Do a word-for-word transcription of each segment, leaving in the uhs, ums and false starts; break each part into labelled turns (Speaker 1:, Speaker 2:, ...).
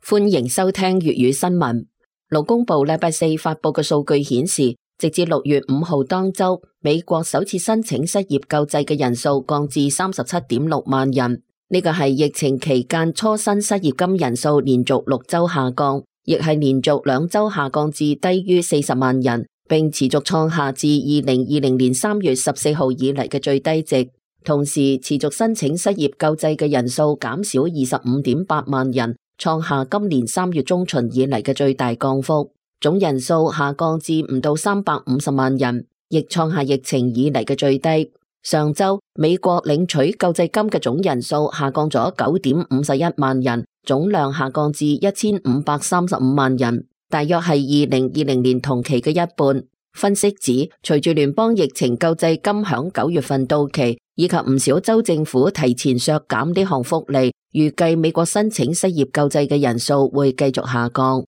Speaker 1: 歡迎收聽粵語新聞。勞工部禮拜四發佈嘅數據顯示，直至六月五號當周，美國首次申請失業救濟嘅人數降至三十七點六萬人。呢個係疫情期間初申失業金人數連續六周下降，亦係連續兩周下降至低於四十萬人，並持續創下自二零二零年三月十四號以嚟嘅最低值。同時，持續申請失業救濟嘅人數減少二十五點八萬人，創下今年三月中旬以嚟嘅最大降幅。總人數下降至唔到三百五十萬人，亦創下疫情以嚟嘅最低。上周美國領取救濟金嘅總人數下降咗九點五十一萬人，總量下降至一千五百三十五萬人，大約係二零二零年同期嘅一半。分析指，隨住聯邦疫情救濟金響九月份到期，以及唔少州政府提前削減呢項福利，預計美國申請失業救濟嘅人數會繼續下降。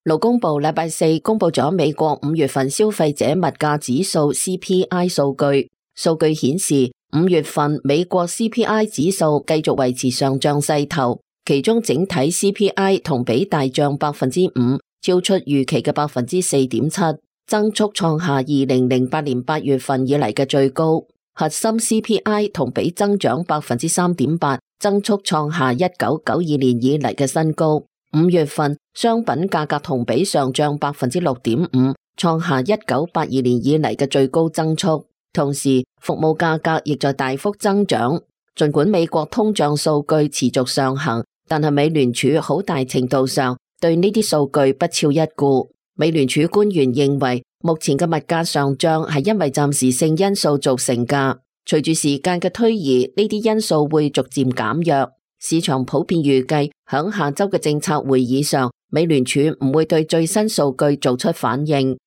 Speaker 1: 勞工部禮拜四公布咗美國五月份消費者物價指數 C P I 數據，數據顯示五月份美國 C P I 指數繼續維持上漲勢頭，其中整體 C P I 同比大漲百分之五，超出預期嘅百分之四點七，增速創下二零零八年八月份以嚟嘅最高。核心 C P I 同比增長百分之三點八，增速創下一九九二年以嚟嘅新高。五月份商品價格同比上漲百分之六點五，創下一九八二年以嚟嘅最高增速。同時，服務價格亦在大幅增長。儘管美國通脹數據持續上行，但係美聯儲好大程度上對呢啲數據不屑一顧。美聯儲官員認為，目前嘅物價上漲係因為暫時性因素造成㗎，隨住時間嘅推移，呢啲因素會逐漸減弱。市場普遍預計響下周嘅政策會議上，美聯儲唔會對最新數據做出反應。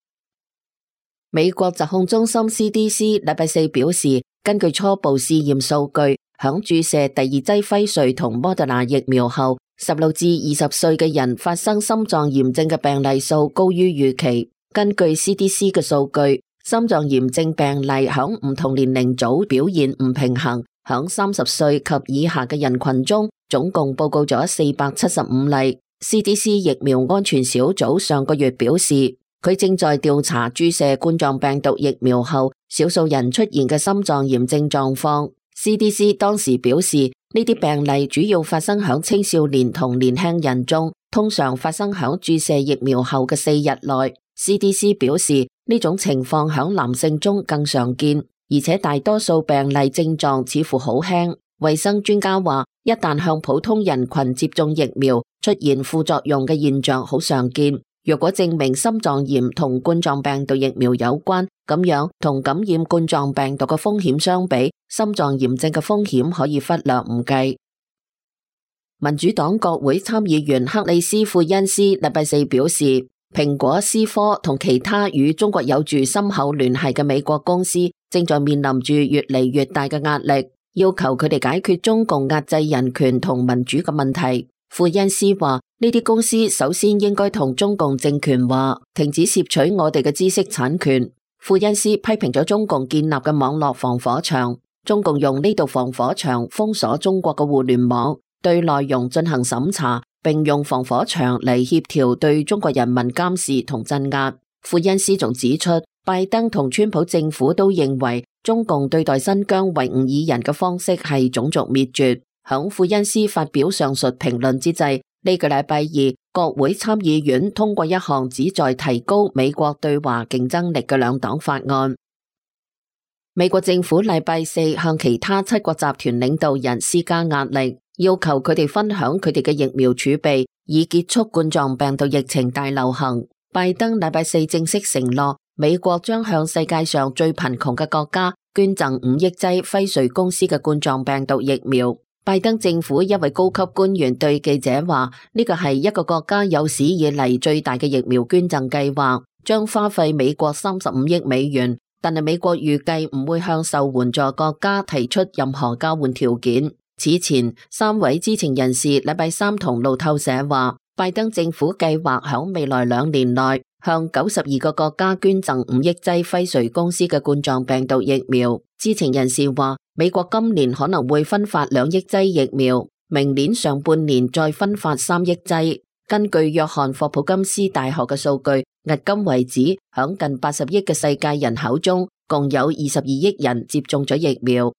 Speaker 1: 美國疾控中心 C D C 禮拜四表示，根據初步試驗數據，響注射第二劑輝瑞同莫德納疫苗後，十六至二十歲嘅人發生心臟炎症嘅病例數高於預期。根據 C D C 嘅數據，心臟炎症病例響唔同年齡組表現唔平衡。響三十歲及以下嘅人群中，總共報告咗四百七十五例。C D C 疫苗安全小組上個月表示，佢正在調查注射冠狀病毒疫苗後少數人出現嘅心臟炎症狀況。C D C 當時表示，呢啲病例主要發生響青少年同年輕人中，通常發生響注射疫苗後嘅四日內。C D C 表示，呢種情況響男性中更常見，而且大多數病例症狀似乎好輕。衛生專家話，一旦向普通人群接種疫苗，出現副作用嘅現象好常見。若果證明心臟炎同冠狀病毒疫苗有關，咁樣同感染冠狀病毒嘅風險相比，心臟炎症嘅風險可以忽略唔計。民主黨國會參議員克里斯庫恩斯禮拜四表示，蘋果、思科同其他與中國有住深厚聯繫嘅美國公司正在面臨住越嚟越大嘅壓力，要求佢哋解決中共壓制人權同民主嘅問題。庫恩斯話，呢啲公司首先應該同中共政權話，停止竊取我哋嘅知識產權。庫恩斯批評咗中共建立嘅網絡防火牆，中共用呢道防火牆封鎖中國嘅互聯網，對內容進行審查，並用防火牆嚟協調對中國人民監視同鎮壓。庫恩斯仲指出，拜登同川普政府都認為中共對待新疆維吾爾人嘅方式係種族滅絕。響庫恩斯發表上述評論之際，呢個禮拜二，國會參議院通過一項旨在提高美國對華競爭力嘅兩黨法案。美國政府禮拜四向其他七國集團領導人施加壓力，要求佢哋分享佢哋嘅疫苗儲備，以結束冠狀病毒疫情大流行。拜登禮拜四正式承諾，美國將向世界上最貧窮嘅國家捐贈五億劑輝瑞公司嘅冠狀病毒疫苗。拜登政府一位高級官員對記者話，呢個係一個國家有史以嚟最大嘅疫苗捐贈計劃，將花費美國三十五億美元，但係美國預計唔會向受援助國家提出任何交換條件。此前，三位知情人士禮拜三同路透社話，拜登政府計劃響未來兩年內向九十二個國家捐贈五億劑輝瑞公司嘅冠狀病毒疫苗。知情人士話，美國今年可能會分發兩億劑疫苗。明年上半年再分發三億劑。根據約翰霍普金斯大學嘅數據，迄今為止，響近八十億嘅世界人口中，共有二十二億人接種咗疫苗。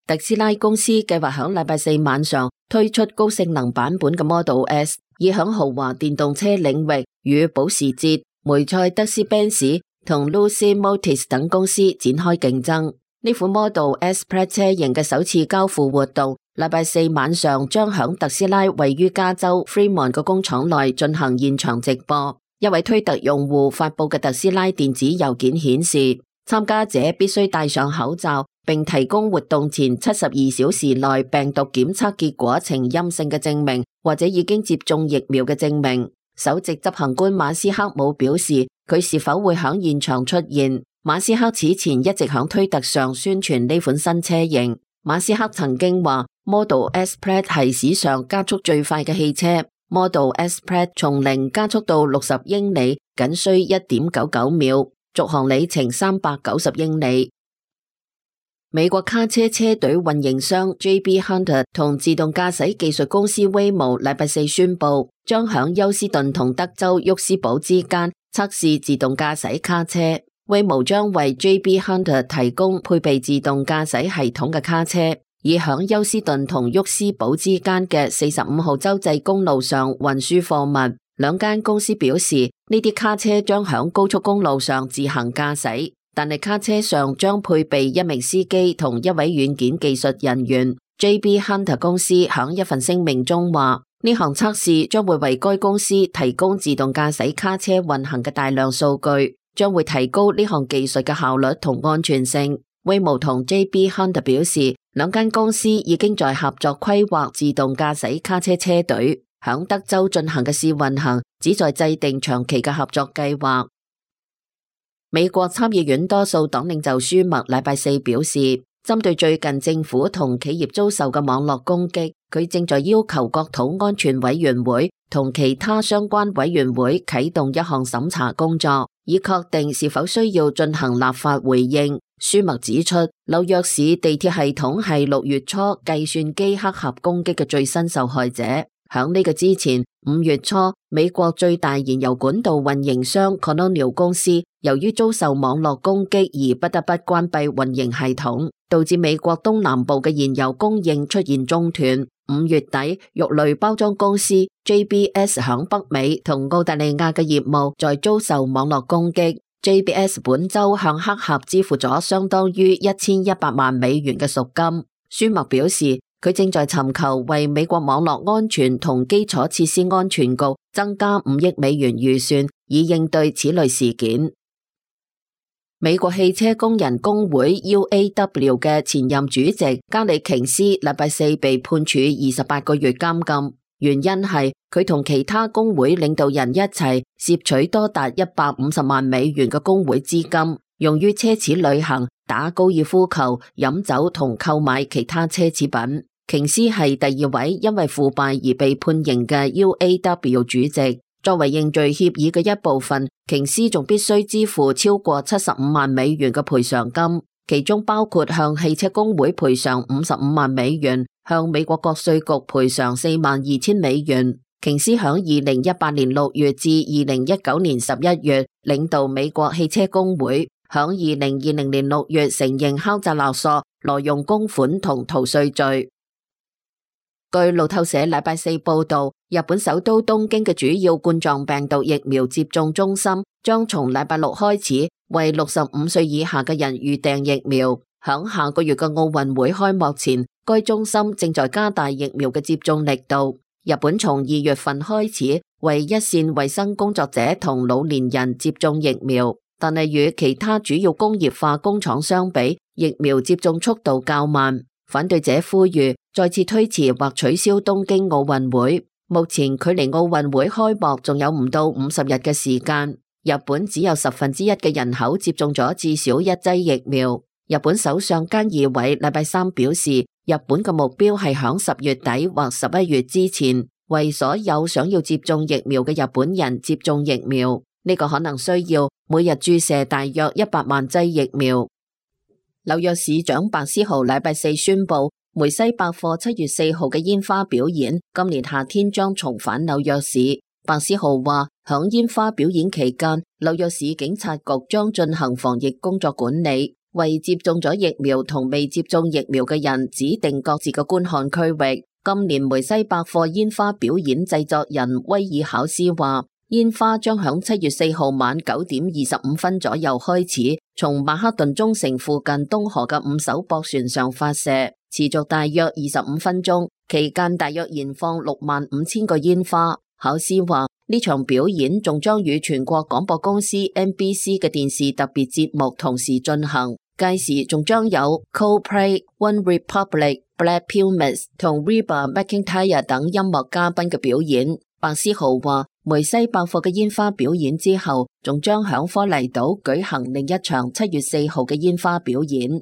Speaker 1: 特斯拉公司計劃響禮拜四晚上推出高性能版本嘅 Model S， 以響豪華電動車領域與保時捷、梅賽德斯賓士同 Lucid Motors 等公司展開競爭。呢款 Model S Plaid 車型嘅首次交付活動，禮拜四晚上將響特斯拉位於加州 Fremont 嘅工廠內進行現場直播。一位推特用戶發佈嘅特斯拉電子郵件顯示，參加者必須戴上口罩，並提供活動前七十二小時內病毒檢測結果呈陰性嘅證明，或者已經接種疫苗嘅證明。首席執行官馬斯克冇表示佢是否會響現場出現。馬斯克此前一直響推特上宣傳呢款新車型。馬斯克曾經話 Model S Plaid 係史上加速最快嘅汽車。Model S Plaid 從零加速到六十英里僅需一點九九秒，續航里程三百九十英里。美國卡車車隊運營商 J B Hunter 同自動駕駛技術公司 Waymo 禮拜四宣布，將響休斯頓同德州沃斯堡之間測試自動駕駛卡車。Waymo 將為 J B Hunter 提供配備自動駕駛系統嘅卡車，以響休斯頓同沃斯堡之間嘅四十五號州際公路上運輸貨物。兩間公司表示，呢啲卡車將響高速公路上自行駕駛，但係卡車上將配備一名司機同一位軟件技術人員。J B Hunter 公司響一份聲明中話，呢項測試將會為該公司提供自動駕駛卡車運行嘅大量數據，將會提高呢項技術嘅效率同安全性。Waymo 同 J B Hunter 表示，兩間公司已經在合作規劃自動駕駛卡車車隊，響德州進行嘅試運行，旨在制定長期嘅合作計劃。美國參議院多數黨領袖舒默禮拜四表示，針對最近政府同企業遭受嘅網絡攻擊，佢正在要求國土安全委員會同其他相關委員會啟動一項審查工作，以確定是否需要進行立法回應。舒默指出，紐約市地鐵系統係六月初計算機黑客攻擊嘅最新受害者。響呢個之前，五月初，美國最大燃油管道運營商 Colonial 公司由於遭受網絡攻擊而不得不關閉運營系統，導致美國東南部嘅燃油供應出現中斷。五月底，肉類包裝公司 J B S 響北美同澳大利亞嘅業務在遭受網絡攻擊。J B S 本周向黑客支付咗相當於一千一百萬美元嘅贖金。舒默表示，佢正在尋求為美國網絡安全同基礎設施安全局增加五億美元預算，以應對此類事件。美國汽車工人工會 U A W 嘅前任主席加里瓊斯禮拜四被判處二十八個月監禁。原因係佢同其他工會領導人一齊攝取多達一百五十萬美元嘅工會資金，用於奢侈旅行、打高爾夫球、飲酒同購買其他奢侈品。瓊斯係第二位因為腐敗而被判刑嘅 U A W 主席。作為認罪協議嘅一部分，瓊斯仲必須支付超過七十五萬美元嘅賠償金，其中包括向汽車工會賠償五十五萬美元，向美國國稅局賠償四萬二千美元。瓊斯響二零一八年六月至二零一九年十一月領導美國汽車工會，響二零二零年六月承認敲詐勒索、挪用公款同逃稅罪。據路透社禮拜四報道，日本首都東京嘅主要冠狀病毒疫苗接種中心將從禮拜六開始為六十五歲以下嘅人預訂疫苗。響下個月嘅奧運會開幕前，該中心正在加大疫苗嘅接種力度。日本從二月份開始為一線衛生工作者同老年人接種疫苗，但係與其他主要工業化工廠相比，疫苗接種速度較慢。反對者呼籲再次推遲或取消東京奧運會。目前距離奧運會開幕仲有唔到五十日嘅時間。日本只有十分之一嘅人口接種咗至少一劑疫苗。日本首相菅義偉禮拜三表示，日本嘅目標係響十月底或十一月之前，為所有想要接種疫苗嘅日本人接種疫苗。呢個可能需要每日注射大約一百萬劑疫苗。紐約市長白思豪禮拜四宣布，梅西百貨七月四號嘅煙花表演，今年夏天將重返紐約市。白思豪話，響煙花表演期間，紐約市警察局將進行防疫工作管理，為接種咗疫苗同未接種疫苗嘅人指定各自嘅觀看區域。今年梅西百貨煙花表演製作人威爾考斯話，煙花將響七月四號晚九點二十五分左右開始，從曼克頓中城附近東河嘅五艘駁船上發射，持續大約二十五分鐘，期間大約燃放六萬五千個煙花。考斯話，呢場表演仲將與全國廣播公司 N B C 嘅電視特別節目同時進行，屆時仲將有 Coldplay、One Republic、Black Pumas 同 Reba McEntire 等音樂嘉賓嘅表演。白思豪話，梅西百貨嘅煙花表演之後，仲將響科尼島舉行另一場七月四號嘅煙花表演。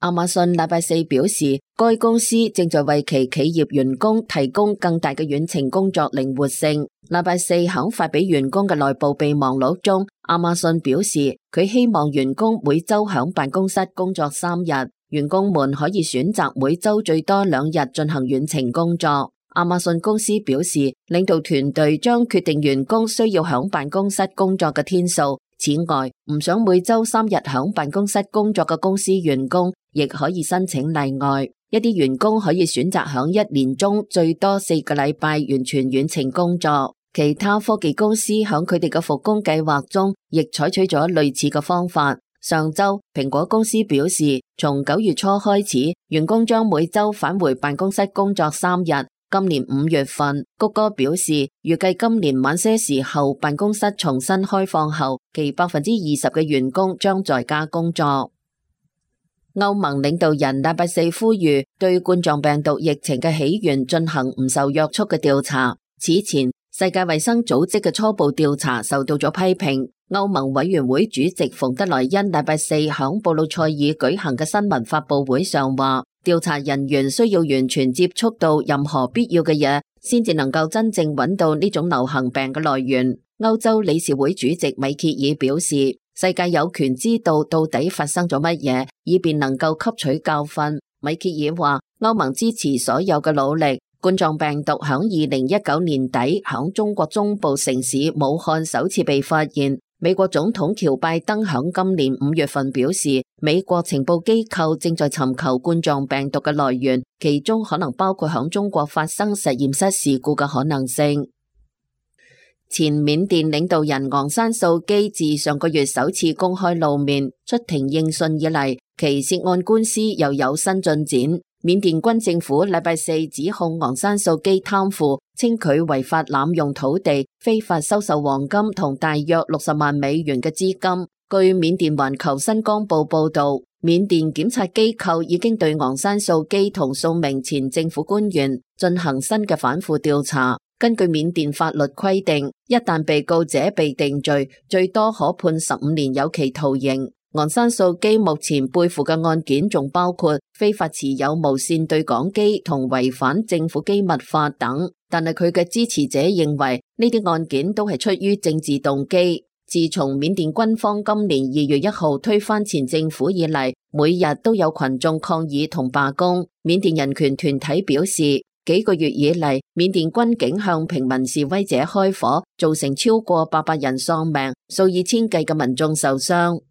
Speaker 1: 亞馬遜禮拜四表示，該公司正在為其企業員工提供更大嘅遠程工作靈活性。禮拜四響發俾員工嘅內部備忘錄中，亞馬遜表示佢希望員工每周響辦公室工作三日，員工們可以選擇每周最多兩日進行遠程工作。亞馬遜公司表示，領導團隊將決定員工需要響辦公室工作嘅天數。此外，唔想每周三日響辦公室工作嘅公司員工，亦可以申請例外。一啲員工可以選擇響一年中最多四個禮拜完全遠程工作。其他科技公司響佢哋嘅復工計劃中，亦採取咗類似嘅方法。上周，蘋果公司表示，從九月初開始，員工將每周返回辦公室工作三日。今年五月份，谷歌表示，預計今年晚些時候辦公室重新開放後，其百分之二十嘅員工將在家工作。歐盟領導人禮拜四呼籲對冠狀病毒疫情嘅起源進行唔受約束嘅調查。此前，世界衛生組織嘅初步調查受到咗批評。歐盟委員會主席馮德萊恩禮拜四響布魯塞爾舉行嘅新聞發佈會上話，調查人員需要完全接觸到任何必要嘅嘢，先至能夠真正揾到呢種流行病嘅來源。歐洲理事會主席米歇爾表示，世界有權知道到底發生咗乜嘢，以便能夠吸取教訓。米歇爾話，歐盟支持所有嘅努力。冠狀病毒響二零一九年底響中國中部城市武漢首次被發現。美國總統喬拜登響今年五月份表示，美國情報機構正在尋求冠狀病毒嘅來源，其中可能包括響中國發生實驗室事故嘅可能性。前緬甸領導人昂山素基自上個月首次公開露面出庭應訊以嚟，其涉案官司又有新進展。緬甸軍政府禮拜四指控昂山素基貪腐，稱佢違法濫用土地、非法收受黃金同大約六十萬美元嘅資金。據緬甸環球新光報報道，緬甸檢察機構已經對昂山素基同數名前政府官員進行新嘅反腐調查。根據緬甸法律規定，一旦被告者被定罪，最多可判十五年有期徒刑。昂山素基目前背負嘅案件仲包括非法持有無線對講機同違反政府機密法等，但係佢嘅支持者認為呢啲案件都係出於政治動機。自從緬甸軍方今年二月一號推翻前政府以嚟，每日都有群眾抗議同罷工。緬甸人權團體表示，幾個月以嚟，緬甸軍警向平民示威者開火，造成超過八百人喪命，數以千計嘅民眾受傷。